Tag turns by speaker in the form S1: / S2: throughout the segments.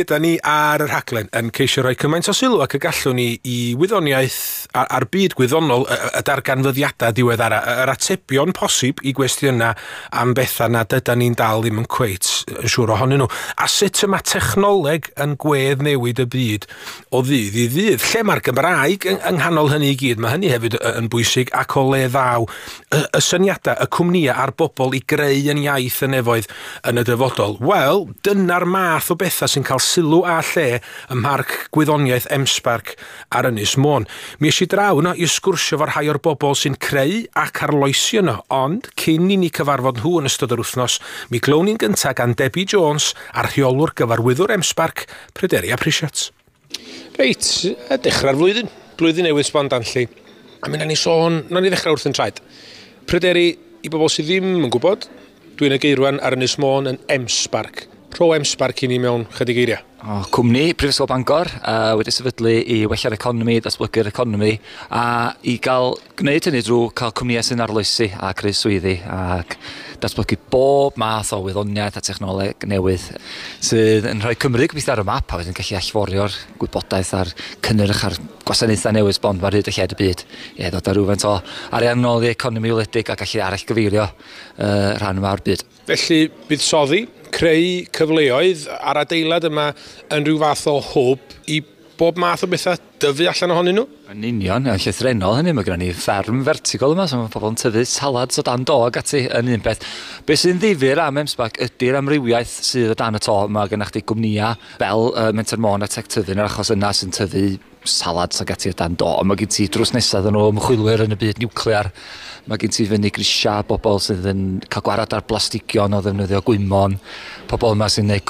S1: Yda ni ar y rhaglen yn ceisio rhoi cymaint o sylw ac y gallwn ni i wyddoniaeth a'r byd gwyddonol, y darganfyddiadau diweddara, yr atebion posib i gwestiynau am bethau nad yda ni'n dal ddim yn cweit yn siŵr ohonyn nhw. A sut y mae technoleg yn gwedd newid y byd o ddydd i ddydd. Lle mae'r Gymraeg yng nghanol hynny i gyd, mae hynny hefyd yn bwysig, ac o le ddaw y syniadau, y cwmnïau a'r bobl i greu yn iaith y nefoedd yn y dyfodol. Wel, dyna'r math o bethau sy'n cael sylw a lle ym Mharc Gwyddoniaeth M-SParc ar Ynys Môn. Mi es i draw yno i sgwrsio efo rhai o'r bobl sy'n creu ac arloesi yno, ond cyn i ni cyfarfod nhw yn ystod yr wythnos, mi glown ni'n gyntaf gan Debbie Jones a'r rheolwr gyfarwyddwr M-SParc, Pryderi a Prisiat. Reit, dechrau'r flwyddyn, blwyddyn newydd sbon danlli. A mi wnawn ni sôn, wnawn ni ddechrau wrth yn traed. Pryderi, i bobl sydd ddim yn gwybod, dwi'n y geirwan ar Ynys Môn yn M-SParc. Rho M-SParc i ni mewn chydig eiriau.
S2: O, cwmni Prifysgol Bangor wedi sefydlu i wella'r economi, datblygu'r economi, a i gael gwneud hynny drwy cael cwmnïau sy'n arloesi a creu swyddi ac datblygu bob math o wyddoniaeth a technoleg newydd sydd yn rhoi Cymru gobeithio ar y map a wedyn gallu allforio'r gwybodaeth a'r cynnyrch a'r gwasanaethau newydd sbon ar hyd y lled y byd. Ie, ddod â rhywfaint o arian nôl i economi wledig a gallu arallgyfeirio rhan yma o'r byd.
S1: Felly, buddsoddi, creu cyfleoedd a'r adeilad yma yn rhyw fath o hwb i bob math o bethau dyfu allan ohonyn nhw?
S2: Yn union, yn llythrennol hynny, mae gennym ni fferm vertical yma, so mae pobl yn tyfu salads o dan do ac ati yn un peth. Be sy'n ddifyr am M-SParc ydy'r amrywiaeth sydd o dan y to. Mae gennych chdi gwmnïau fel Menter Môn a Tech Tyddyn yr achos yna sy'n tyfu salads ac ati o dan do. Ond mae gen ti drws nesaf yn nhw ymchwilwyr yn y byd niwclear. Mae gen ti fyny grisiau bobl sydd yn cael gwarad ar blastigion o ddefnyddio gwymon, pobl yma sy'n gwneud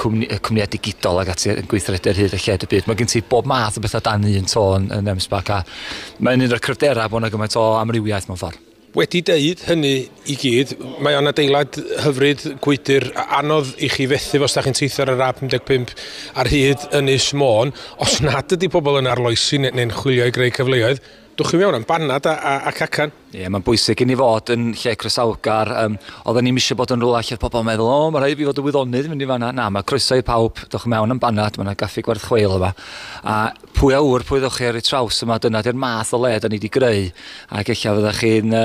S2: cwmnïau digidol ac ati yn gweithredu ar hyd y lled y byd. Mae gen ti bob math o bethau dan un to yn M-SParc a mae'n un o'r cryfderau bod yna gymaint o amrywiaeth mewn ffordd.
S1: Wedi deud hynny i gyd, mae o'n adeilad hyfryd, gwydr, anodd i chi fethu os da chi'n teithio ar yr A55 ar hyd Ynys Môn. Os nad ydy pobl yn arloesi neu'n chwilio i greu cyfleoedd, dwch chi mewn am banad a cacan.
S2: Ie, mae'n bwysig i ni fod yn lle croesawgar. Oedden ni'm eisiau bod yn rhywle lle pobl yn meddwl, o, mae rhaid i fi fod yn wyddonydd i fynd i fan'na. Na, mae croeso i pawb, dewch mewn am banad, mae yna gaffi gwerth chweil yma. A pwy a ŵyr, pwy ddewch chi ar ei traws yma, dyna di'r math o le da ni wedi greu. Ac ella fyddech chi'n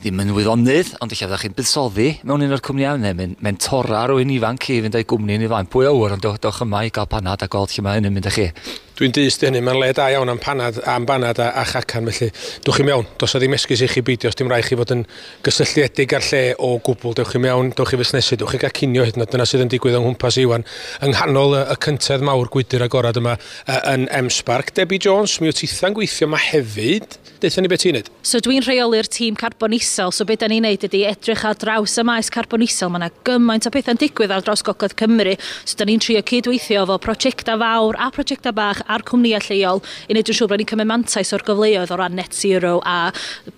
S2: ddim yn wyddonydd, ond ella fyddech chi'n buddsoddi mewn un o'r cwmnïau, neu mentora rhywun ifanc i fynd â'i gwmni yn ei flaen. Pwy a ŵyr, ond dewch yma i gael panad a gweld lle mae hyn yn mynd â chi.
S1: Dwi'n dyst i hynny, mae'n le da iawn am banad a chacan, felly dewch chi mewn, does 'na ddim esgus i chi beidio, os dim rhaid chi fod yn gysylltiedig â'r lle o gwbl, dewch chi mewn, dewch chi fusnesu, dewch chi gael cinio hyd yn oed, dyna sydd yn digwydd yng nghwmpas Iwan, yng nghanol y cyntedd mawr gwydr agorad yma yn M-SParc. Debbie Jones, mi wyt titha'n gweithio yma hefyd, deutha ni beth ti'n neud?
S3: So dwi'n rheoli'r tîm carbon isel, so beth da ni'n neud ydy edrych ar draws y maes carbon isel, mae yna gymaint o pethau'n digwydd ar draws Gogledd Cymru, so da ni'n trio cydweithio efo prosiectau fawr a prosiectau bach a'r cwmnïau lleol i wneud yn siŵr bod ni'n cymryd mantais o'r gyfleoedd o ran net zero a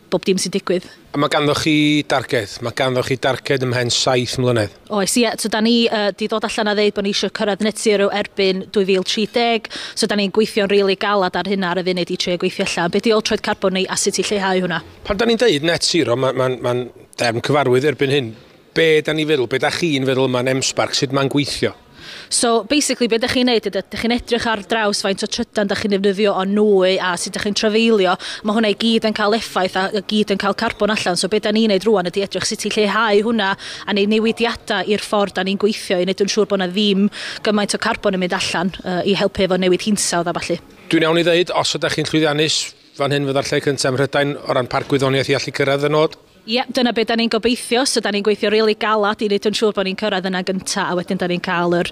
S3: bob dim sy'n digwydd.
S1: A mae ganddo chi darged, mae ganddo chi darged ymhen 7 mlynedd.
S3: Oes, ie, so da ni di dod allan a ddeud bod ni eisiau cyrraedd net zero erbyn 2030, so da ni'n gweithio'n rili galad ar hynna ar y funud i trio gweithio allan. Be di ôl troed carbon ni a sut i lleihau hwnna?
S1: Pan da ni'n deud net zero, mae'n derm cyfarwydd erbyn hyn. Be da ni'n feddwl, be da chi'n feddwl yma'n M-SParc, sut mae'n gweithio?
S3: So, basically, be ydych chi'n neud ydy, ydych chi'n edrych ar draws faint o trydan ydych chi'n defnyddio o nwy a sut ydych chi'n trafeilio. Mae hwnna i gyd yn cael effaith a gyd yn cael carbon allan. So, be da ni'n neud rŵan ydy edrych sut i lleihau hwnna a neud newidiadau i'r ffordd da ni'n gweithio i wneud yn siŵr bod na ddim gymaint o carbon yn mynd allan i helpu efo newid hinsawdd a ballu.
S1: Dwi'n iawn i ddeud, os ydych chi'n llwyddiannus, fan hyn fydda'r lle cyntaf ym Mhrydain o ran parc gwyddoniaeth i allu cyrraedd y nod?
S3: Ie, dyna beth da ni'n gobeithio, so da ni'n gweithio rili galad i wneud yn siŵr bod ni'n cyrraedd yna gynta, a wedyn da ni'n cael yr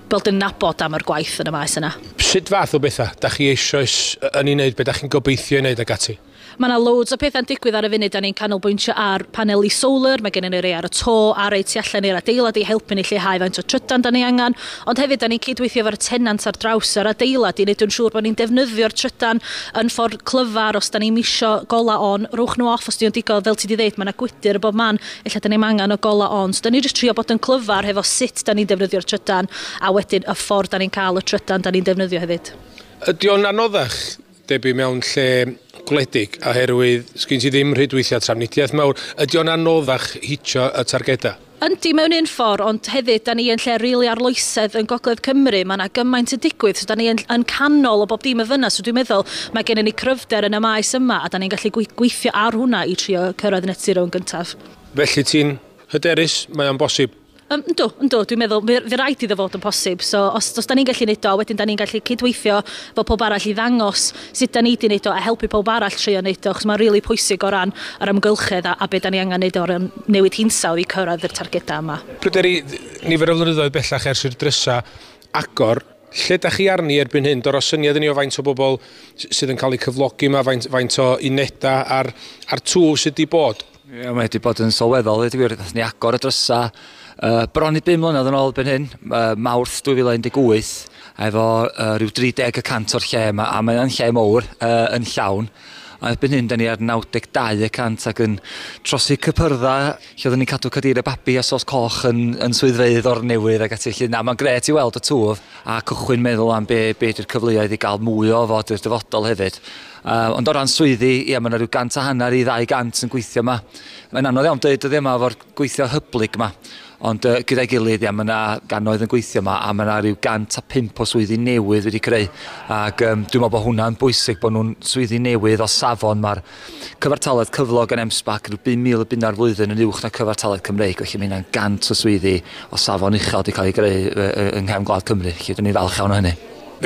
S3: bod yn nabod am yr gwaith yn y maes yna.
S1: Sut fath o bethau da chi eisoes yn ei wneud, beth da chi'n gobeithio ei wneud ac ati?
S3: Mae yna loads o pethau'n digwydd ar y funud, da ni'n canolbwyntio ar paneli solar, mae gennym ni rei ar y to a rei tu allan i'r adeilad i helpu ni lleihau faint o trydan da ni angen, ond hefyd da ni'n cydweithio efo'r tenant ar draws yr adeilad i wneud yn siŵr bod ni'n defnyddio'r trydan yn ffordd clyfar. Os da ni'n misio gola on, rowch nhw off os di o'n digon, fel ti di ddeud, mae yna gwydyr y bob man, ella da ni'n angen o gola on. So da ni'n just trio bod yn clyfar hefo sut da ni'n defnyddio'r trydan a wedyn y ffordd da ni'n cael y trydan da ni'n defnyddio hefyd.
S1: Ydy o'n anoddach, Debbie, mewn lle gwledig, oherwydd sgyn ti ddim rhwydweithiau trafnidiaeth mawr, ydy o'n anoddach hitio y targedau?
S3: Yndi, mewn un ffordd, ond hefyd, da ni yn lle rili arloesedd yn Gogledd Cymru, mae yna gymaint yn digwydd, so da ni yn canol o bob dim y fyna, so dwi'n meddwl mae gennym ni cryfder yn y maes yma, a da ni'n gallu gweithio ar hwnna i trio cyrraedd net zero yn gyntaf.
S1: Felly ti'n hyderus, mae o'n bosib?
S3: Yndw, yndw, dwi'n meddwl, fe rhaid iddo fod yn posib. So, os da ni'n gallu neud o, wedyn da ni'n gallu cydweithio fel pob arall i ddangos sut da ni wedi neud o a helpu pob arall trio neud o, achos mae'n rili pwysig o ran yr amgylchedd a be da ni angen neud o ran newid hinsawdd i cyrraedd yr targedau yma.
S1: Pryderi, nifer o flynyddoedd bellach ers i'r drysa agor, lle da chi arni erbyn hyn? Dod o syniad i ni o faint o bobl sydd yn cael eu cyflogi yma, faint o unedau a'r twf sydd wedi bod?
S2: Ie, mae wedi bod yn sylweddol, dweud y gwir. Nathon ni agor y drysa bron i 5 mlynedd yn ôl erbyn hyn, Mawrth 2018, efo rhyw 30% o'r lle yma, a mae'n lle mowr yn llawn. A erbyn hyn, da ni ar 92% ac yn trosi cypyrdda, lle oedden ni'n cadw cadeiriau babi a sos coch yn swyddfeydd o'r newydd ac ati. Felly, na, mae'n grêt i weld y twf a cychwyn meddwl am be ydy'r cyfleoedd i gael mwy o fod i'r dyfodol hefyd. Ond o ran swyddi, ie, mae yna rhyw 150 i 200 yn gweithio yma. Mae'n anodd iawn dweud dyddiau yma efo'r gweithio hyblyg yma. Ond gyda'i gilydd, ie, mae yna gannoedd yn gweithio yma a mae yna rhyw 105 o swyddi newydd wedi creu. Ac dwi'n meddwl bod hwnna'n bwysig, bod nhw'n swyddi newydd o safon. Mae'r cyfartaledd cyflog yn M-SParc rhyw 5,000 o bunna'r flwyddyn yn uwch na cyfartaledd Cymreig. Felly mae hynna'n 100 o swyddi o safon uchel wedi cael ei greu yng nghefn gwlad Cymru. Felly dyn ni'n falch iawn o hynny.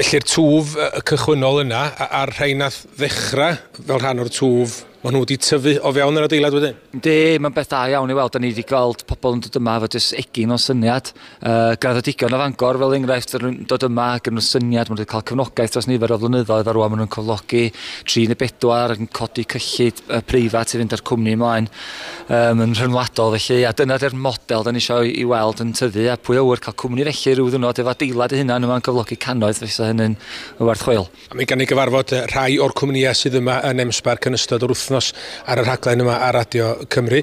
S1: Felly'r twf y cychwynnol yna, a'r rhai nath ddechrau fel rhan o'r twf, maen nhw wedi tyfu o fewn yr adeilad wedyn?
S2: Yndi, mae'n beth da iawn i weld. Da ni wedi gweld pobl yn dod yma efo jyst egin o syniad. Graddedigion o Fangor, fel enghraifft, yn dod yma gyda nhw syniad, maen nhw wedi cael cefnogaeth dros nifer o flynyddoedd, a rwan maen nhw'n cyflogi 3 neu 4 ac yn codi cyllid preifat i fynd â'r cwmni ymlaen yn rhyngwladol. Felly, a dyna di'r model da ni eisiau i weld yn tyfu, a pwy a ŵyr cael cwmni felly rhyw ddiwrnod efo adeilad ei hunan yma'n cyflogi cannoedd, fysa hynny'n werth chweil.
S1: A mi gan ni gyfarfod rhai o'r cwmnïau sydd yma yn M-SParc yn ystod yr wythnos ar y rhaglen yma ar Radio Cymru.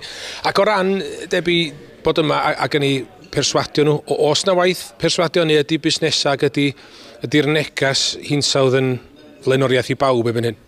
S1: Ac o ran, Debbie, bod yma ac yn ei perswadio nhw, oes na waith perswadio neu ydy busnesau ac ydy'r negas hinsawdd yn flaenoriaeth i bawb erbyn hyn?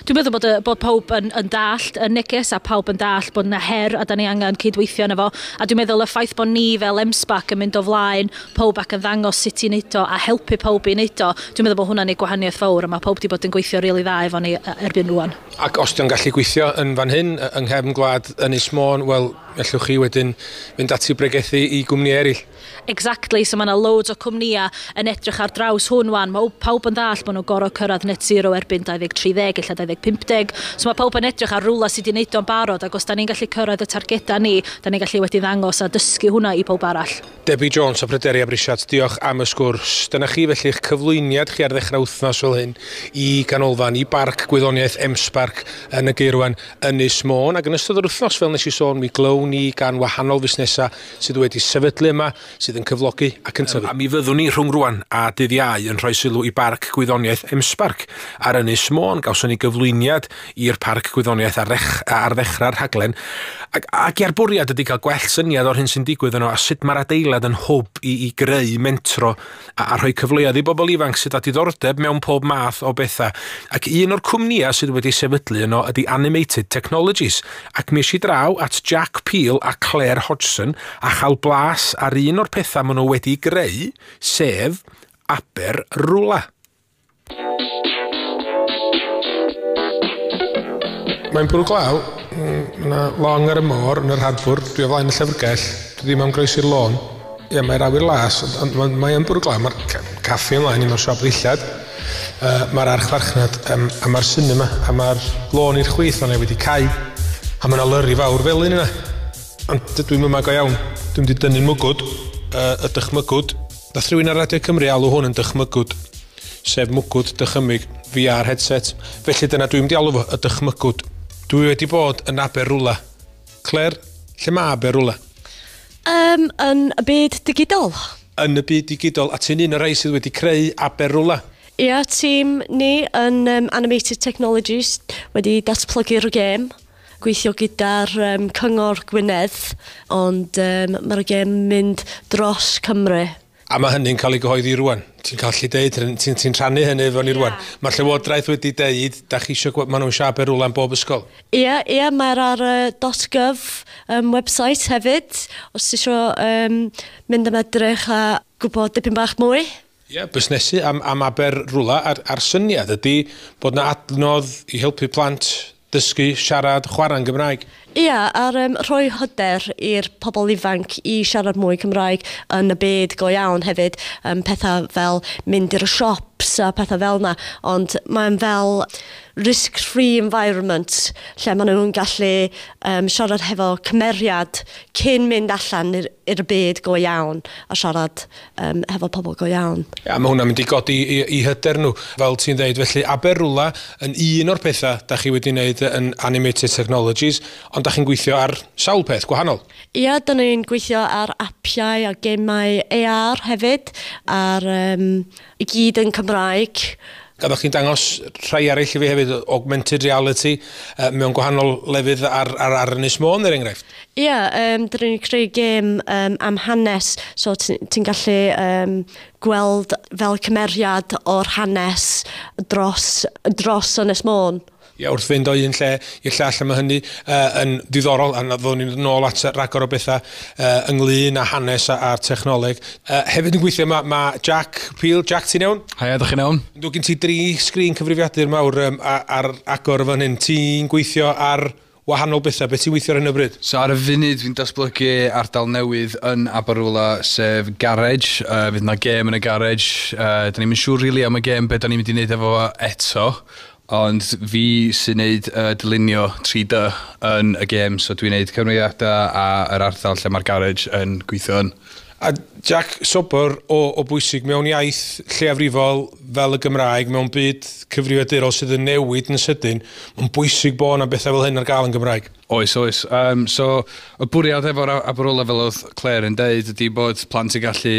S3: Dwi'n meddwl bod pawb yn dallt y neges a pawb yn dallt bod yna her a da ni angen cydweithio yna fo. A dwi'n meddwl y ffaith bod ni fel M-SParc yn mynd o flaen pawb ac yn ddangos sut i wneud o a helpu pawb i wneud o, dwi'n meddwl bod hwnna'n ei gwahaniaeth fawr a mae pawb wedi bod yn gweithio rili dda efo ni erbyn rwan.
S1: Ac os dio'n gallu gweithio yn fan hyn, yng nghefn gwlad Ynys Môn, wel, ellwch chi wedyn fynd ati bregethu i gwmni eraill.
S3: Exactly, so mae yna loads o cwmnïau yn edrych ar draws hwn wan. Mae pawb yn ddall bod nhw'n gorfod cyrraedd net zero erbyn 2030, ella 2050. So mae pawb yn edrych ar rwla sydd wedi wneud o'n barod, ac os da ni'n gallu cyrraedd y targedau ni, da ni'n gallu wedi ddangos a dysgu hwnna i pawb arall.
S1: Debbie Jones a Pryderi Abrisiat, diolch am y sgwrs. Dyna chi felly eich cyflwyniad chi ar ddechrau wythnos fel hyn i ganolfan, i Barc Gwyddoniaeth M-SParc yn y Gaerwen Ynys Môn. Ac yn ystod yr wythnos, fel nes i sôn, mi glown ni gan wahanol fusnesau sydd wedi sefydlu yma, sydd yn cyflogi ac yn tyfu. A mi fyddwn ni rhwng rwan a dydd Iau yn rhoi sylw i Barc Gwyddoniaeth M-SParc ar Ynys Môn. Gawson ni gyflwyniad i'r Parc Gwyddoniaeth ar ddechrau'r rhaglen. Ac i'r bwriad ydy cael gwell syniad o'r hyn sy'n digwydd yno a sut mae'r adeilad yn hwb i greu mentro a rhoi cyfleoedd i bobl ifanc sydd â diddordeb mewn pob math o bethau. Ac un o'r cwmnïau sydd wedi sefydlu yno ydy Animated Technologies. Ac mi es i draw at Jack Peel a Claire Hodgson a chael blas ar un o'r pethau maen nhw wedi greu, sef Aberrwla. Mae'n bwrw glaw, mae yna long ar y môr yn yr harbwr, dwi o flaen y llyfrgell, dwi ddim am groesi'r lôn. Ie, mae'r awyr las, ond mae'n bwrw glaw, mae'r caffi ymlaen i mewn siop ddillad, mae'r archfarchnad, a mae'r cinema, a mae'r lôn i'r chwith o'n wedi cau, a mae yna lyri fawr felyn yna. Ond dydw i'm yma go iawn, dwi'n mynd i dynnu mwgwd, y dychmygwd. Nath rhywun ar Radio Cymru alw hwn yn dychmygwd, sef mwgwd dychymyg VR headset. Felly dyna dwi'n mynd i alw fo, y dychmygwd. Dwi wedi bod yn Aberrwla. Claire, lle mae Aberrwla?
S4: Yn y byd digidol.
S1: Yn y byd digidol, a ti'n un o'r rhai sydd wedi creu Aberrwla?
S4: Ia, tîm ni yn Animated Technologies wedi datblygu'r gêm. Gweithio gyda'r Cyngor Gwynedd, ond mae'r gêm mynd dros Cymru.
S1: A mae hynny'n cael ei gyhoeddi rwan. Ti'n cael lle deud, ti'n rhannu hynny efo ni rwan. Mae'r Llywodraeth wedi deud, da chi eisiau gweld, maen nhw'n eisiau Aberwla yn bob ysgol.
S4: Ie, ie, mae'r ar .gov website hefyd, os ti eisiau mynd am edrych a gwybod dipyn bach mwy.
S1: Ie, busnesu am Aberwla a'r syniad ydy bod na adnodd i helpu plant dysgu, siarad, chwarae'n Gymraeg.
S4: Ie, a'r rhoi hyder i'r pobl ifanc i siarad mwy Cymraeg yn y byd go iawn hefyd. Pethau fel mynd i'r shops a pethau fel yna, ond mae'n fel risk-free environment lle maen nhw'n gallu siarad hefo cymeriad cyn mynd allan i'r byd go iawn a siarad hefo pobl go iawn.
S1: Ia, mae hwnna'n mynd i godi i hyder nhw, fel ti'n dweud. Felly Aberwla yn un o'r pethau da chi wedi wneud yn Animated Technologies, ond da chi'n gweithio ar sawl peth gwahanol.
S4: Ia, da ni'n gweithio ar apiau a gemau AR hefyd, ar i gyd yn Cymraeg.
S1: Gaddach chi'n dangos rhai eraill i fi hefyd, augmented reality, mewn gwahanol lefydd ar Ynys Môn, er enghraifft.
S4: Ie, yeah, dyn ni'n creu gêm am hanes, so ti'n gallu gweld fel cymeriad o'r hanes dros Ynys Môn.
S1: Ie, wrth fynd o un lle i'r llall, a mae hynny yn diddorol, a ddown ni'n nôl at ragor o bethau ynglyn â hanes a'r technoleg. Hefyd yn gweithio mae Jack Peel. Jack, ti'n iawn?
S5: Haia, ydych chi'n iawn?
S1: Dwi gen ti 3 sgrin cyfrifiadur mawr ar agor fan hyn. Ti'n gweithio ar wahanol bethau, beth ti'n weithio ar hyn o bryd?
S5: So ar y funud fi'n datblygu ardal newydd yn Aberwla, sef garage. Fydd yna gêm yn y garage. Da ni'n siŵr really am y gêm, beth da ni'n mynd i wneud efo eto. Ond fi sy'n neud dylunio 3D yn y gêm, so dwi'n neud cymeriadau a yr ardal lle mae'r garage yn gweithio yn.
S1: A Jack, sobor o bwysig mewn iaith lleiafrifol fel y Gymraeg, mewn byd cyfrifiadurol sydd yn newid yn sydyn, mae'n bwysig bod yna bethau fel hyn ar gael yn Gymraeg.
S5: Oes, oes. So, y bwriad efo'r Aberwla, fel oedd Claire yn deud, ydy bod plant yn gallu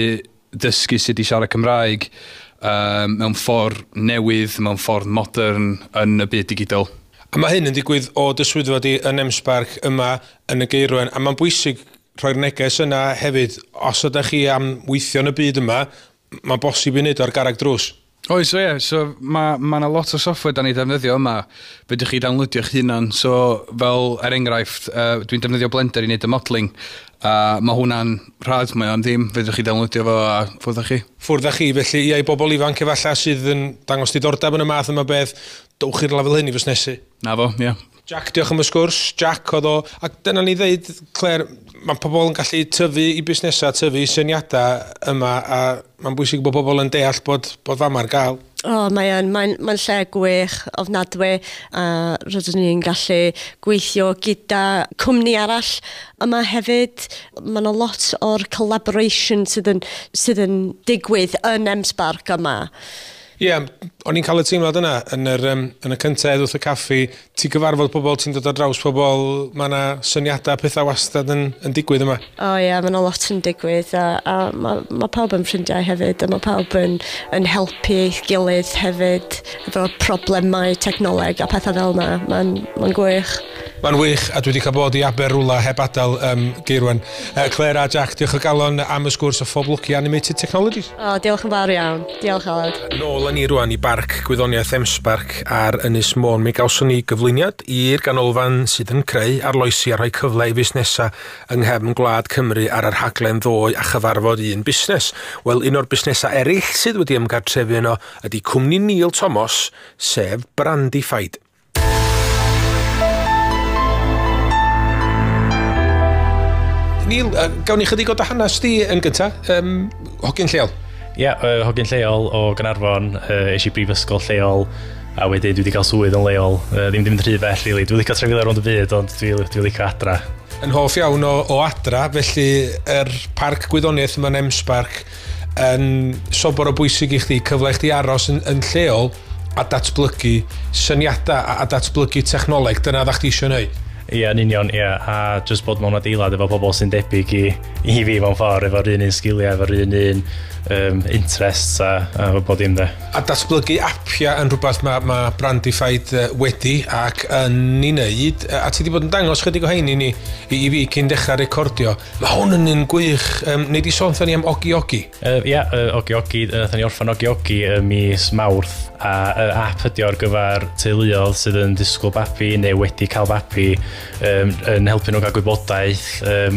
S5: dysgu sut i siarad Cymraeg mewn ffordd newydd, mewn ffordd modern yn y byd digidol.
S1: A mae hyn yn digwydd o dy swyddfa di yn M-SParc yma yn y Geirwen, a mae'n bwysig rhoi'r neges yna hefyd, os ydych chi am weithio yn y byd yma, mae'n bosib i wneud ar garreg drws.
S5: Oes, o ie, so mae yna lot o software da ni defnyddio yma, fedrwch chi downloadio'ch hunan, so fel er enghraifft, dwi'n defnyddio Blender i wneud y modelling, a mae hwnna'n rhad, mae o'n ddim, fedrwch chi downloadio fo a ffwrdd â chi.
S1: Ffwrdd â chi, felly ia, i bobl ifanc efallai sydd yn dangos diddordeb yn y math yma beth, dowch i'r lefel hyn i fusnesu.
S5: Na fo, ie.
S1: Jack, diolch am y sgwrs. Jack oedd o, ac dyna ni ddeud, Claire, mae pobl yn gallu tyfu i busnesau, tyfu i syniadau yma, a mae'n bwysig bod pobl yn deall bod fama ar gael.
S4: O, mae'n lle gwych ofnadwy, a rydyn ni'n gallu gweithio gyda cwmni arall yma hefyd. Mae yna lot o'r collaboration sydd yn digwydd yn M-SParc yma.
S1: Ie, o'n i'n cael y teimlad yna yn y cyntedd wrth y caffi, ti'n gyfarfod pobl, ti'n dod ar draws pobl, mae yna syniadau, pethau wastad yn digwydd yma.
S4: O ie, mae yna lot yn digwydd a mae pawb yn ffrindiau hefyd, a mae pawb yn helpu eich gilydd hefyd efo problemau technoleg a pethau fel yna. Mae'n gwych.
S1: Mae'n wych, a dwi wedi cael bod i Aberwla heb adael Geirwen. Claire a Jack, diolch o galon am y sgwrs a phob lwc i Animated Technologies.
S4: O, diolch yn fawr iawn. Diolch, Aled.
S1: Nôl â ni rwan i Barc Gwyddoniaeth M-SParc ar Ynys Môn. Mi gawson ni gyflwyniad i'r ganolfan sydd yn creu arloesi a rhoi cyfle i fusnesau yng nghefn gwlad Cymru ar yr rhaglen ddoe a chyfarfod un busnes. Wel, un o'r busnesau eraill sydd wedi ymgartrefu yno ydy cwmni Neil Thomas, sef Brandified. Neil, gawn ni chydig o dy hanes di yn gynta, hogyn lleol?
S6: Ie, hogyn lleol o Gaernarfon, es i brifysgol lleol, a wedyn dwi wedi cael swydd yn leol. Ddim wedi mynd rhy bell, really. Dwi'n licio trafeilio rownd y byd, ond dwi'n licio adra.
S1: Yn hoff iawn o adra, felly yr parc gwyddoniaeth yma'n M-SParc yn sobor o bwysig i chdi, cyfle i chdi aros yn lleol a datblygu syniadau a datblygu technoleg, dyna dda chdi eisiau wneud.
S6: Ie, yn union, ie, a just bod mewn adeilad efo pobl sy'n debyg i fi mewn ffordd, efo'r un sgiliau, efo'r un interests a bob dim de.
S1: A datblygu apiau yn rhywbeth mae Brandified wedi ac yn ei wneud, a ti wedi bod yn dangos chydig o hein i ni, i fi cyn dechrau recordio. Mae hwn yn un gwych. Nei di sôn wrthon ni am Ogi Ogi?
S6: Ia, Ogi Ogi, nathon ni orffan Ogi Ogi ym mis Mawrth, a app ydi o ar gyfer teuluoedd sydd yn disgwyl babi neu wedi cael babi, yn helpu nhw gael gwybodaeth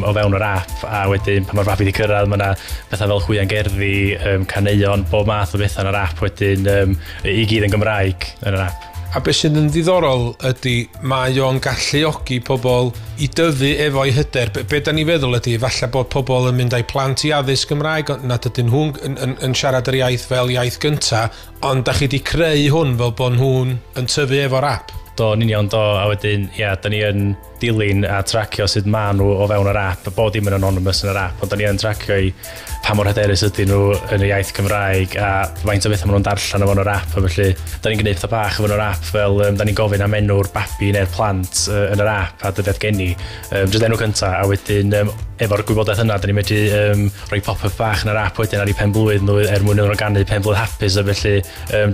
S6: o fewn yr app, a wedyn pan mae'r babi wedi cyrraedd mae yna bethau fel hwiangerddi, caneuon, bob math o bethau yn yr app wedyn, i gyd yn Gymraeg yn yr app.
S1: A beth sydd yn ddiddorol ydy mae o'n galluogi pobl i dyfu efo'i hyder. Be da ni feddwl ydy, falle bod pobl yn mynd â'u plant i addysg Gymraeg, ond nad ydyn nhw'n yn siarad yr iaith fel iaith gynta, ond da chi wedi creu hwn fel bod nhw'n yn tyfu efo'r app.
S6: Do, yn union do, a wedyn, ia, da ni yn dilyn a tracio sut ma nhw o fewn yr app, bod dim yn anonymous yn yr app, ond da ni yn tracio i pa mor hyderus ydyn nhw yn y iaith Cymraeg a faint o bethau maen nhw'n darllen o fewn yr app, a felly da ni'n gwneud pethau bach o fewn yr app, fel da ni'n gofyn am enw'r babi neu'r plant yn yr app a dyddiad geni, jyst enw cynta, a wedyn efo'r gwybodaeth yna, da ni'n medru rhoi pop-up bach yn yr app wedyn ar eu pen blwydd nhw er mwyn iddyn nhw ganu pen blwydd hapus, a felly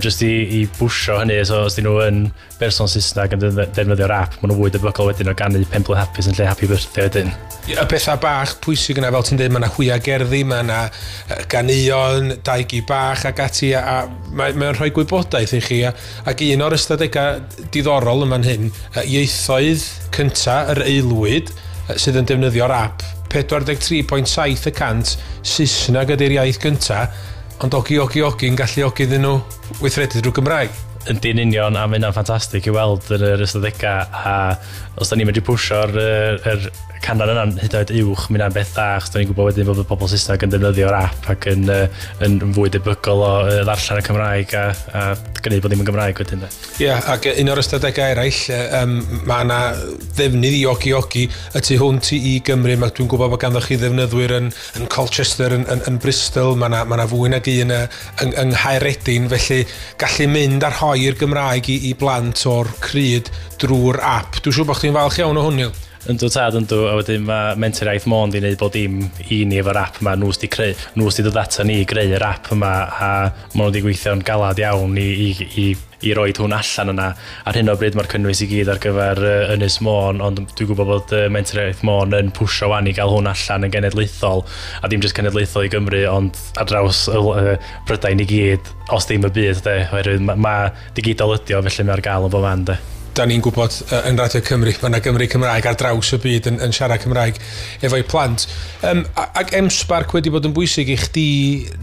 S6: jyst i bwsio hynny, so os dyn nhw yn berson Saesneg yn defnyddio'r app, maen nhw fwy debygol wedyn o ganu pen blwydd hapus yn lle happy birthday wedyn.
S1: Y pethau bach pwysig yna, fel ti'n dweud, mae yna hwiangerddi, mae yna ganeuon, dau gi bach ac ati, a mae'n rhoi gwybodaeth i chi. Ac un o'r ystadegau diddorol yn fan hyn, ieithoedd cynta yr aelwyd sydd yn defnyddio'r app, 43.7% Saesneg ydy'r iaith gynta, ond Ogi Ogi Ogi'n galluogi iddyn nhw weithredu drwy Gymraeg.
S6: Ynddi'n union, a mae hynna'n ffantastig i weld yn yr ystadegau, a os da ni'n medru pwsio'r yr canran yna'n hyd yn oed uwch, mae hynna'n beth dda, achos da ni'n gwybod wedyn bod y pobl Saesneg yn defnyddio'r app ac yn fwy debygol o ddarllen y Cymraeg a gwneud bod ddim yn Gymraeg wedyn.
S1: Ie, yeah, ac un o'r ystadegau eraill, mae yna ddefnydd i Ogi Ogi y tu hwnt i Gymru. Dwi'n gwybod bod ganddo chi ddefnyddwyr yn Colchester, yn Bristol, mae yna fwy nag un yng Nghaeredin, felly gallu mynd a rhoi'r Gymraeg i blant o'r cryd drwy'r app. Dwi'n siŵr bod chdi'n falch iawn o hwn, Neil.
S6: Yndw tad, yndw, a wedyn mae Menter Iaith Môn di wneud bod dim i ni efo'r app yma, nhw sydd wedi dod ata ni i greu yr app yma, a maen nhw wedi gweithio'n galad iawn i roed hwn allan yna. Ar hyn o bryd mae'r cynnwys i gyd ar gyfer Ynys Môn, ond dwi'n gwybod bod Menter Iaith Môn yn pwsio wan i gael hwn allan yn genedlaethol, a dim jyst cenedlaethol i Gymru, ond ar draws Prydain i gyd, os ddim y byd, de, oherwydd mae digidol ydi o, felly mae ar gael yn bob man, de.
S1: Da ni'n gwybod yn Radio Cymru, mae yna Gymru Cymraeg ar draws y byd yn siarad Cymraeg efo'i plant. Ac M-SParc wedi bod yn bwysig i chdi,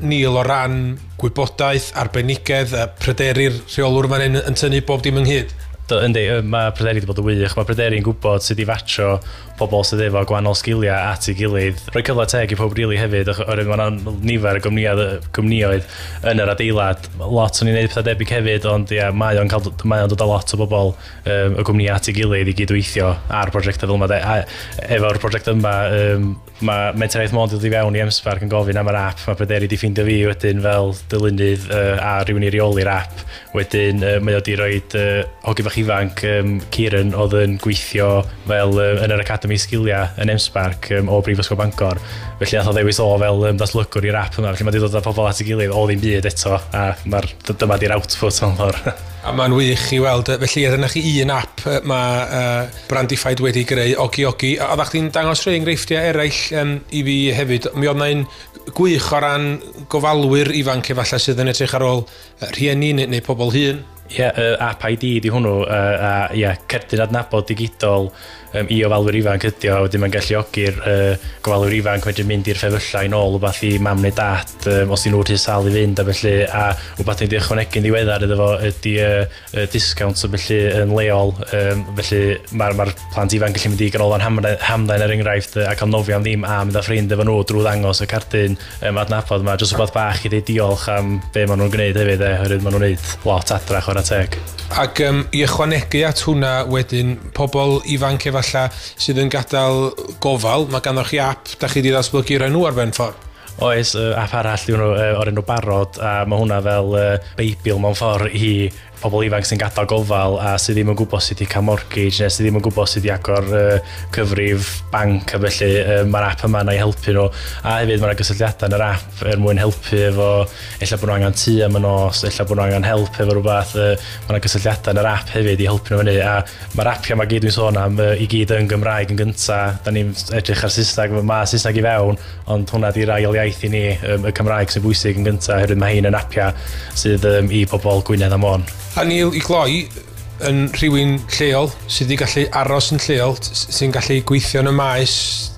S1: Neil, o ran gwybodaeth, arbenigedd, pryderu'r rheolwr fan hyn yn tynnu bob dim ynghyd?
S6: Yndi, mae Pryderi wedi bod yn wych. Mae Pryderi'n gwybod sut i fatio pobl sydd efo gwahanol sgiliau at ei gilydd. Rhoi cyfle teg i pob rili hefyd, oherwydd mae yna nifer o gwmnïoedd yn yr adeilad. Lot o'n i'n neud pethau debyg hefyd, ond ia, mae o'n dod â lot o bobl y gwmnïau at ei gilydd i gydweithio ar prosiectau fel yma. A efo'r prosiect yma, mae Menter Iaith Môn dod i fewn i M-SParc yn gofyn am yr app. Mae Pryderi wedi ffeindio fi wedyn fel dylunydd a rhywun i reoli'r app. Wedyn mae o wedi rhoi hogyn bach ifanc, Kieran, oedd yn gweithio fel yn yr Academy Sgiliau yn M-SParc o Brifysgol Bangor. Felly nath o ddewis o fel datblygwr i'r app yma. Felly mae wedi dod â pobl at ei gilydd o ddim byd eto, a dyma di'r output mewn ffordd.
S1: A mae'n wych i weld. Felly, dyna chi un app mae Brandified wedi greu, Ogi Ogi. Oeddech chdi'n dangos rhai enghreifftiau eraill i fi hefyd. Mi oedd 'na un gwych o ran gofalwyr ifanc efallai sydd yn edrych ar ôl rhieni neu pobl hŷn.
S6: Ie, app ID di hwnnw, a ie, cerdyn adnabod digidol i ofalwyr ifanc ydi o, wedyn mae'n galluogi'r gofalwyr ifanc wedyn mynd i'r ffefyllau yn ôl wbath i mam neu dad, os 'di nhw rhy sâl i fynd a felly, a wbath ni wedi ychwanegu'n ddiweddar iddo fo ydi discount so felly yn leol, felly mae'r plant ifanc gallu mynd i ganolfan hamdden er enghraifft a cael nofio am ddim a mynd â ffrind efo nhw drwy ddangos y cerdyn adnabod yma, jyst wbath bach i ddeud diolch am be maen nhw'n gwneud hefyd, oherwydd maen nhw'n gwneud lot adra, chwarae teg.
S1: Ac i ychwanegu at hwnna wedyn, pobl ifanc efallai sydd yn gadael gofal, mae ganddo chi app da chi wedi ddatblygu rhoi nhw ar ben ffordd.
S6: Oes, app arall yw hwnnw, o'r enw Barod, a mae hwnna fel Beibl mewn ffordd i pobl ifanc sy'n gadael gofal a sydd ddim yn gwybod sut i cael mortgage neu sydd ddim yn gwybod sut i agor cyfrif banc a felly. Mae'r app yma na i helpu nhw, a hefyd mae'na gysylltiadau yn yr app er mwyn helpu efo ella bod nhw angen tŷ am y nos, ella bod nhw angen help efo rhywbeth. Mae'na gysylltiadau yn yr app hefyd i helpu nhw fyny, a mae'r apiau yma gyd dwi'n sôn am i gyd yn Gymraeg yn gynta. Da ni'n edrych ar Saesneg, mae Saesneg i fewn, ond hwnna di'r ail iaith i ni, y Cymraeg sy'n bwysig yn gynta, oherwydd mae hein yn apiau sydd i pobl Gwynedd a Môn.
S1: A Neil, i gloi, yn rhywun lleol sydd wedi gallu aros yn lleol, sy'n gallu gweithio yn y maes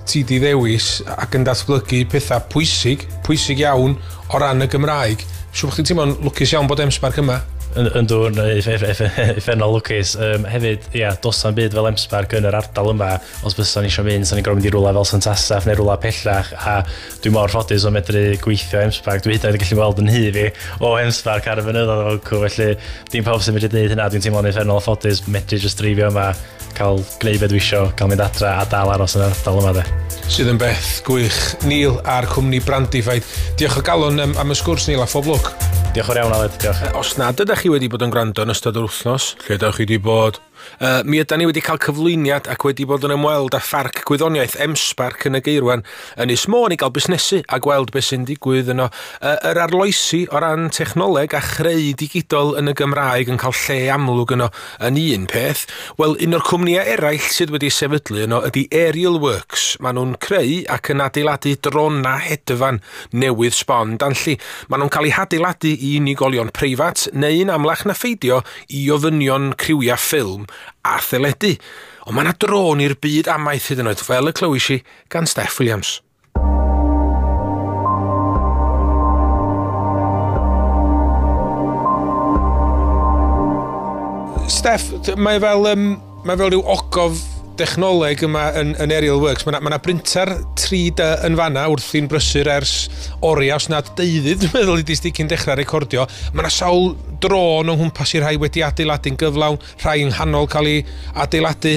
S1: ti di ddewis ac yn datblygu pethau pwysig, pwysig iawn o ran y Gymraeg. Siŵr bod chdi'n teimlo'n lwcus iawn bod M-SParc yma.
S6: Yndw, uffernol lwcus. Hefyd, ia, does na'm byd fel M-SParc yn yr ardal yma. Os bysa ni eisiau mynd, sa'n ni'n gorfod mynd i rwla fel St Asaph neu rwla pellach, a dwi mor ffodus o medru gweithio M-SParc. Dwi hyd yn oed yn gallu gweld yn nhŷ fi o M-SParc ar y fynyddoedd o facw, felly dim pawb sy'n medru gwneud hynna. Dwi'n teimlo'n uffernol ffodus medru just dreifio yma, cael gwneud beth dwi isio, cael mynd adra a dal aros yn yr ardal yma de.
S1: Sydd yn beth gwych. Neil a'r cwmni Brandified. Diolch o galon am y sgwrs, Neil, a phob lwc.
S6: Diolch yn iawn, Aled. Diolch.
S1: Os nad ydych chi wedi bod yn gwrando yn ystod yr wythnos, lle ydych chi wedi bod? Mi ydan ni wedi cael cyflwyniad ac wedi bod yn ymweld â Pharc Gwyddoniaeth M-SParc yn y Geirwan yn Ynys Môn i gael busnesu a gweld beth sy'n digwydd yno. Yr arloesi o ran technoleg a chreu digidol yn y Gymraeg yn cael lle amlwg yno yn un peth. Wel, un o'r cwmnïau eraill sydd wedi sefydlu yno ydy Aerial Works. Maen nhw'n creu ac yn adeiladu drona hedfan newydd sbon danlli. Maen nhw'n cael eu hadeiladu i unigolion preifat neu'n amlach na pheidio i ofynion criwiau ffilm a theledu. Ond mae yna drôn i'r byd amaeth hyd yn oed, fel y clywis i gan Steff Williams. Steff, mae fel rhyw ogof dechnoleg yma yn Aerial Works. Mae yna brinter 3D yn fanna wrthi'n brysur ers oriau, os nad deuddydd, dwi'n meddwl i di cyn dechrau recordio. Mae yna sawl drôn o'n nghwmpas i rhai wedi adeiladu'n gyflawn, rhai yng nghanol cael ei adeiladu.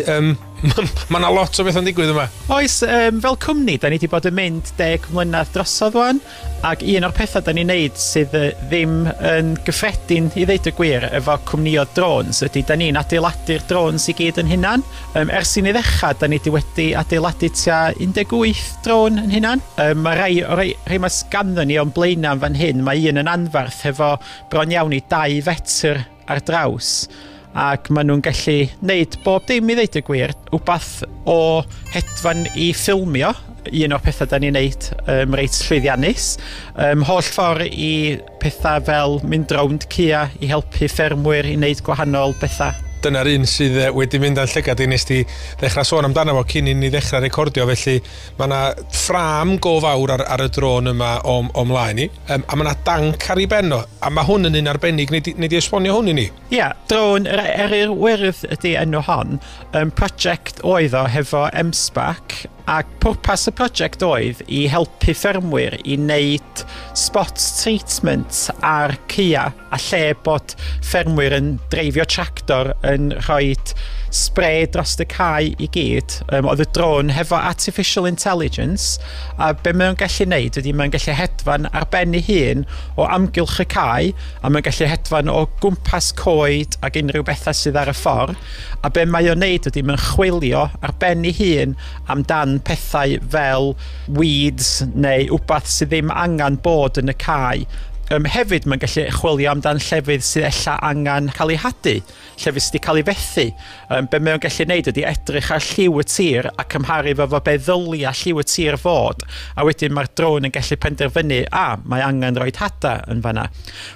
S1: Mae yna lot o bethau'n digwydd yma.
S7: Oes, fel cwmni, da ni wedi bod yn mynd 10 mlynedd drosodd wan, ac un o'r pethau da ni'n neud sydd ddim yn gyffredin i ddeud y gwir efo cwmnïoedd drones ydy da ni'n adeiladu'r drones i gyd yn hunan. Ers i ni ddechrau, da ni wedi adeiladu tua 18 drôn yn hunan. Mae rai, o rai mae ganddo ni o'n blaenau yn fan hyn, mae un yn anfarth hefo bron iawn i 2 fetr ar draws, ac maen nhw'n gallu wneud bob dim i ddeud y gwir. Wbath o hedfan i ffilmio, un o'r pethau da ni'n neud reit llwyddiannus. Holl ffordd i pethau fel mynd rownd caea i helpu ffermwyr i wneud gwahanol bethau.
S1: Dyna'r un sydd wedi mynd â'n llygad i nes di ddechrau sôn amdano fo cyn i ni ddechrau recordio, felly mae yna ffrâm go fawr ar y drôn yma o mlaen i, a mae yna danc ar ei ben o, a mae hwn yn un arbennig. Nei di esbonio hwn i ni?
S7: Ia, yeah, drôn yr Eryr Wyrdd ydy enw hon. Project oedd o hefo M-SParc, ac pwrpas y prosiect oedd i helpu ffermwyr i wneud spot treatment ar caea, a lle bod ffermwyr yn dreifio tractor yn rhoi spray dros y cae i gyd. Oedd y drôn hefo artificial intelligence, a be mae'n gallu neud ydy mae'n gallu hedfan ar ben ei hun o amgylch y cae, a mae'n gallu hedfan o gwmpas coed ac unrhyw bethau sydd ar y ffordd, a be mae o'n neud ydy mae'n chwilio ar ben ei hun amdan pethau fel weeds neu wbath sydd ddim angen bod yn y cae. Hefyd mae'n gallu chwilio amdan llefydd sydd ella angen cael ei hadu, llefydd sydd wedi cael ei fethu. Be mae'n gallu neud ydy edrych ar lliw y tir a cymharu fo efo be ddylia lliw y tir fod, a wedyn mae'r drôn yn gallu penderfynu, a mae angen rhoi hada yn fanna.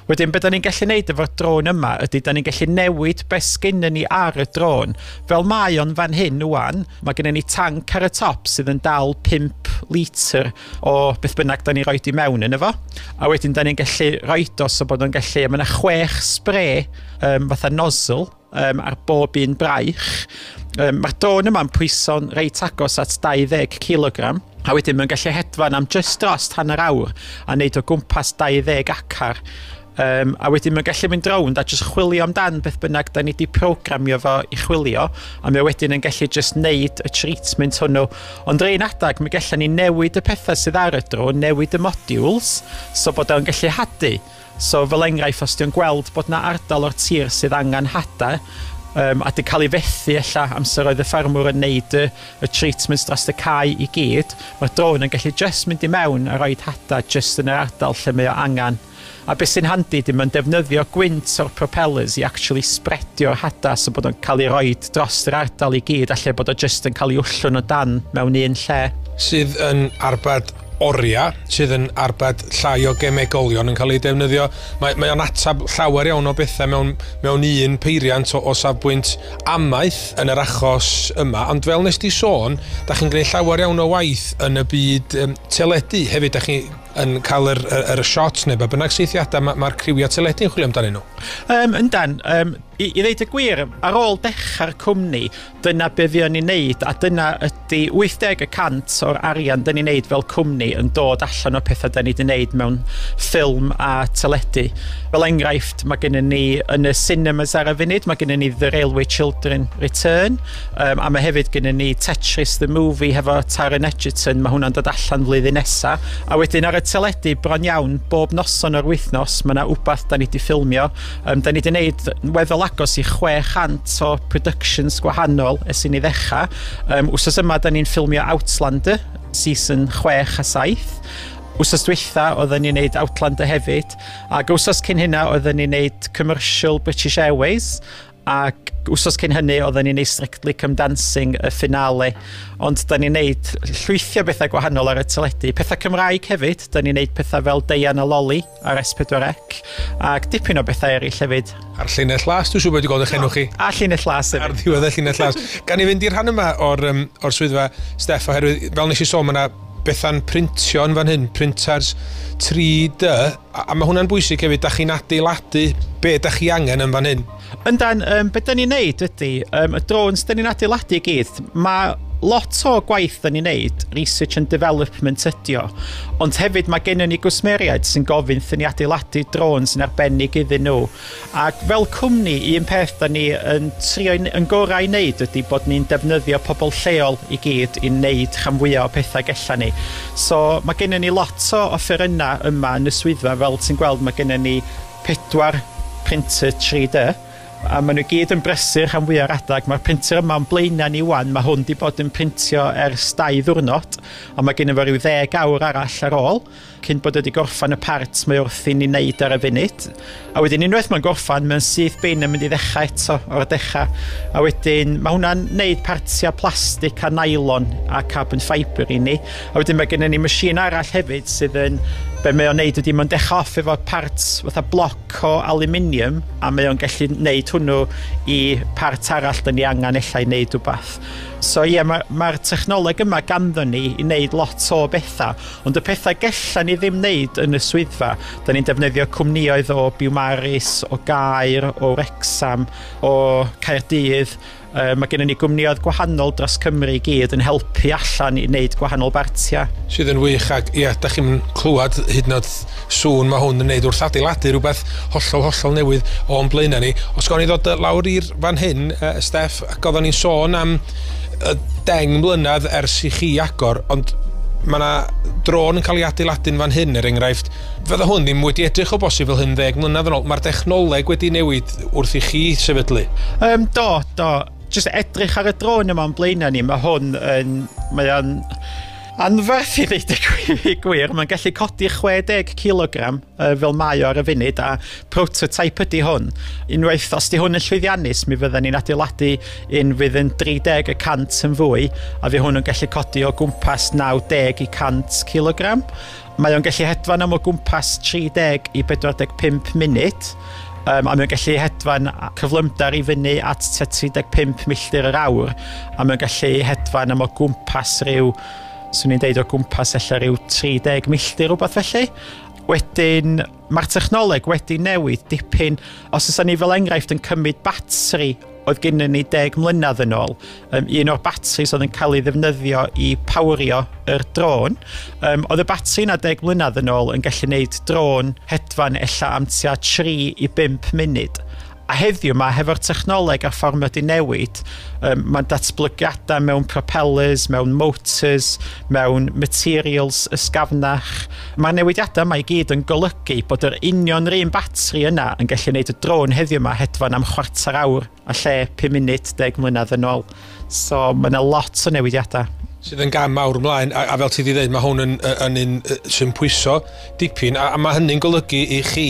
S7: Wedyn, be da ni'n gallu neud efo'r drôn yma ydy da ni'n gallu newid be sgynnon ni ar y drôn. Fel mae o'n fan hyn wan, mae gennym ni tanc ar y top sydd yn dal 5 litr o beth bynnag da ni roed i mewn yn efo. A wedyn da ni'n gallu roed o so bod o'n gallu, mae yna chwech spray fatha nozzle ar bob un braich. Mae'r drôn yma'n pwyso'n reit agos at 20 kg. A wedyn mae'n gallu hedfan am just dros hanner awr a wneud o gwmpas 20 acar. A wedyn mae'n gallu mynd rownd a jyst chwilio amdan beth bynnag da ni wedi programio fo i chwilio, a mae wedyn yn gallu jyst neud y treatment hwnnw. Ond yr un adag, mi gallen ni newid y pethau sydd ar y drone, newid y modules, so bod o'n gallu hadu. So fel enghraifft, os di'n gweld bod na ardal o'r tir sydd angen hada, a di cael ei fethu ella amser oedd y ffermwr yn neud y treatments dros y cae i gyd, mae'r drone yn gallu just mynd i mewn a rhoi hada just yn yr ardal lle mae o angen. A beth sy'n handi, dim yn defnyddio gwynt o'r propellers i actually spreadio'r hada so bod o'n cael ei roed dros yr ardal i gyd, alle bod o just yn cael ei wllwn o dan mewn un lle.
S1: Sydd yn arbed oriau, sydd yn arbed llai o gemegolion yn cael ei defnyddio. Mae o'n atab llawer iawn o bethau mewn un peiriant o safbwynt amaeth yn yr achos yma. Ond fel nes di sôn, da chi'n gwneud llawer iawn o waith yn y byd teledu. Hefyd, da chi yn cael yr shots neu be bynnag seithiadau mae'r criwiau teledu yn chwilio amdanyn nhw.
S7: Yndan, i ddeud y gwir, ar ôl dechrau'r cwmni, dyna be fuon ni'n neud, a dyna ydy 80% o'r arian dyn ni'n neud fel cwmni yn dod allan o pethau dyn ni wedi neud mewn ffilm a teledu. Fel enghraifft, mae gennym ni yn y cinemas ar y funud, mae gennym ni The Railway Children Return, a mae hefyd gennym ni Tetris the Movie hefo Taron Egerton, mae hwnna'n dod allan flwyddyn nesa. A wedyn ar y teledu bron iawn, bob noson o'r wythnos, mae yna wbath da ni wedi ffilmio. Da ni wedi neud weddol agos i 600 o productions gwahanol ers i ni ddechrau. Wsos yma da ni'n ffilmio Outlander, season 6 a 7. Wsos dwytha oedden ni'n neud Outlander hefyd, ac wsos cyn hynna oedden ni'n neud commercial British Airways, ac wsos cyn hynny oedden ni'n neud Strictly Come Dancing, y finale. Ond da ni'n neud llwythio bethau gwahanol ar y teledu. Pethau Cymraeg hefyd, da ni'n neud pethau fel Deian a Loli ar S4C, ac dipyn o bethau eraill hefyd.
S1: A'r Llinell Las, dwi'n siŵr bod wedi gweld eich enw chi.
S7: A Llinell Las hefyd.
S1: Ar ddiwedd y Llinell Las. Gan i fynd i'r rhan yma o'r swyddfa, Steff, oherwydd fel nes i sôn, mae yna bethau'n printio yn fan hyn, printers 3D, a mae hwnna'n bwysig hefyd, da chi'n adeiladu be da chi angen yn fan hyn.
S7: Yndan, be da ni'n neud ydy, y drones da ni'n adeiladu i gyd, mae lot o gwaith da ni'n neud, research and development ydi o, ond hefyd mae gennym ni gwsmeriaid sy'n gofyn wrthyn ni adeiladu drones yn arbennig iddyn nhw. Ac fel cwmni, un peth da ni yn trio yn gorau i wneud ydy bod ni'n defnyddio pobl lleol i gyd i wneud rhan fwyaf o pethau gella ni. So mae gennym ni lot o offerynnau yma yn y swyddfa, fel ti'n gweld mae gennym ni 4 printer 3D, a maen nhw gyd yn brysur rhan fwyaf o'r adag. Mae'r printer yma yn blaenau ni wan, mae hwn wedi bod yn printio ers 2 ddiwrnod, a mae gennym fo ryw 10 awr arall ar ôl, cyn bod wedi gorffan y part mae wrthi'n ei wneud ar y funud. A wedyn unwaith mae'n gorffan, mae'n syth bin yn mynd i ddechrau eto o'r dechrau. A wedyn mae hwnna'n wneud partiau plastig a nylon a carbon fibre i ni. A wedyn mae gennym ni machine arall hefyd sydd yn, be mae o'n neud ydy mae'n dechrau off efo parts fatha bloc o aluminium, a mae o'n gallu neud hwnnw i part arall da ni angen ella i neud wbath. So ie, mae'r technoleg yma ganddo ni i wneud lot o bethau, ond y pethau gella ni ddim wneud yn y swyddfa, da ni'n defnyddio cwmnïoedd o Biwmaris, o Gaer, o Wrexham, o Caerdydd. Mae gennym ni gwmnïoedd gwahanol dros Cymru i gyd yn helpu allan i wneud gwahanol bartiau.
S1: Sydd yn wych, ac ie, da chi'n clywed hyd yn oed sŵn mae hwn yn wneud wrth adeiladu rhywbeth hollol, hollol newydd o'n blaenau ni. Os gawn ni ddod lawr i'r fan hyn, Steff, ac oedden ni'n sôn am 10 mlynedd ers i chi agor, ond mae yna drôn yn cael ei adeiladu'n fan hyn, er enghraifft. Fydda hwn ddim wedi edrych o bosib fel hyn 10 mlynedd yn ôl. Mae'r dechnoleg wedi newid wrth i chi sefydlu.
S7: Do. Just edrych ar y drôn yma o'n blaenau ni, mae hwn yn, mae o'n anferth i ddeud y gwir. Mae'n gallu codi 60 kilogram fel mae o ar y funud, a prototype ydy hwn. Unwaith, os di hwn yn llwyddiannus, mi fydden ni'n adeiladu un fydd yn 30% yn fwy, a fydd hwn yn gallu codi o gwmpas 90 i 100 kilogram. Mae o'n gallu hedfan am o gwmpas 30 i 45 munud, a mae'n gallu hedfan cyflymder i fyny at 35 milltir yr awr, a mae'n gallu hedfan am o gwmpas rhyw, swn i'n deud o gwmpas ella rhyw 30 milltir rhywbeth felly. Wedyn, mae'r technoleg wedi newid dipyn. Os oes ni fel enghraifft yn cymryd batri oedd gennym ni 10 mlynedd yn ôl. Un o'r batris oedd yn cael ei ddefnyddio i powerio yr drôn. Oedd y batri yna 10 mlynedd yn ôl yn gallu gwneud drôn hedfan ella am tua 3 i 5 munud. A heddiw yma, hefo'r technoleg a'r ffordd mae wedi newid, mae'n datblygiadau mewn propellers, mewn motors, mewn materials ysgafnach. Mae'r newidiadau yma i gyd yn golygu bod yr union yr un batri yna yn gallu gwneud y drôn heddiw yma hedfan am chwarter awr a lle 5 munud 10 mlynedd yn ôl. So mae yna lot o newidiadau.
S1: Sydd yn gam mawr ymlaen, a fel ti wedi dweud, mae hwn yn un sy'n pwyso dipyn, a mae hynny'n golygu i chi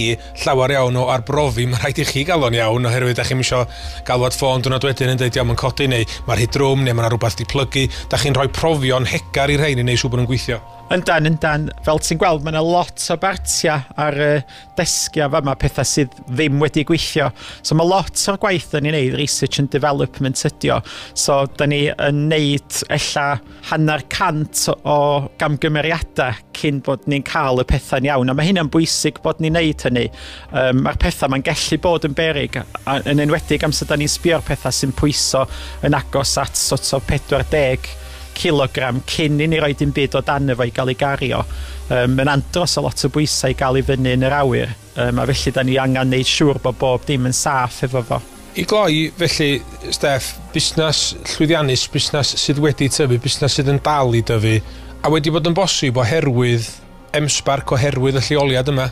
S1: llawer iawn o arbrofi. Mae rhaid i chi gael o'n iawn, oherwydd da chi'n isio galwad ffôn diwrnod wedyn yn dweud, iawn, mae'n codi, neu mae'r rhy drwm, neu mae'n rhywbeth di plygu. Da chi'n rhoi profion hegar i'r rhain i wneud siŵr bod nhw'n gweithio.
S7: Yndan, yndan. Fel ti'n gweld, mae yna lot o bartiau ar y desgiau fama, pethau sydd ddim wedi gweithio. So mae lot o'r gwaith yn ei wneud, research and development ydi o. So da ni yn neud ella 150 o gamgymeriadau cyn bod ni'n cael y pethau'n iawn. A mae hynna'n bwysig bod ni'n neud hynny. Mae'r pethau mae'n gallu bod yn beryg, yn enwedig amser da ni'n sbio'r pethau sy'n pwyso yn agos at sort of 40 kilogram cyn i ni roi dim byd o dan efo i gael ei gario. Mae'n andros o lot o bwysau i gael ei fyny yn yr awyr, a felly da ni angen neud siŵr bod bob dim yn saff efo fo.
S1: I gloi, felly, Steff, busnes llwyddiannus, busnes sydd wedi tyfu, busnes sydd yn dal i dyfu, a wedi bod yn bosib oherwydd M-SParc, oherwydd y lleoliad yma.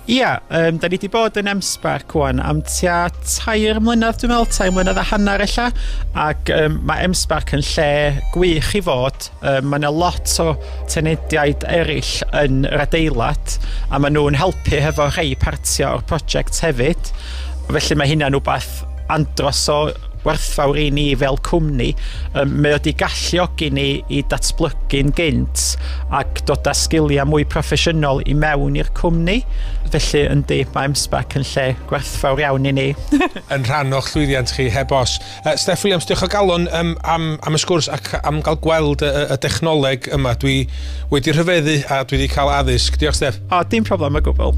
S7: Ia, da ni wedi bod yn M-SParc wan am tua 3 mlynedd, dwi'n meddwl, 3 mlynedd a hanner ella, ac mae M-SParc yn lle gwych i fod. Mae yna lot o tenediaid eraill yn yr adeilad, a maen nhw'n helpu hefo rhai partiau o'r prosiect hefyd. Felly mae hynna'n rhywbeth andros o werthfawr i ni fel cwmni. Mae wedi galluogi ni i datblygu'n gynt ac dod â sgiliau mwy proffesiynol i mewn i'r cwmni. Felly yndi, mae M-SParc yn lle gwerthfawr iawn i ni.
S1: Yn rhan o'ch llwyddiant chi, heb os. Steff Williams, diolch o galon am y sgwrs ac am gael gweld y dechnoleg yma. Dwi wedi rhyfeddu a dwi wedi cael addysg. Diolch, Steff.
S7: O, dim problem o gwbl.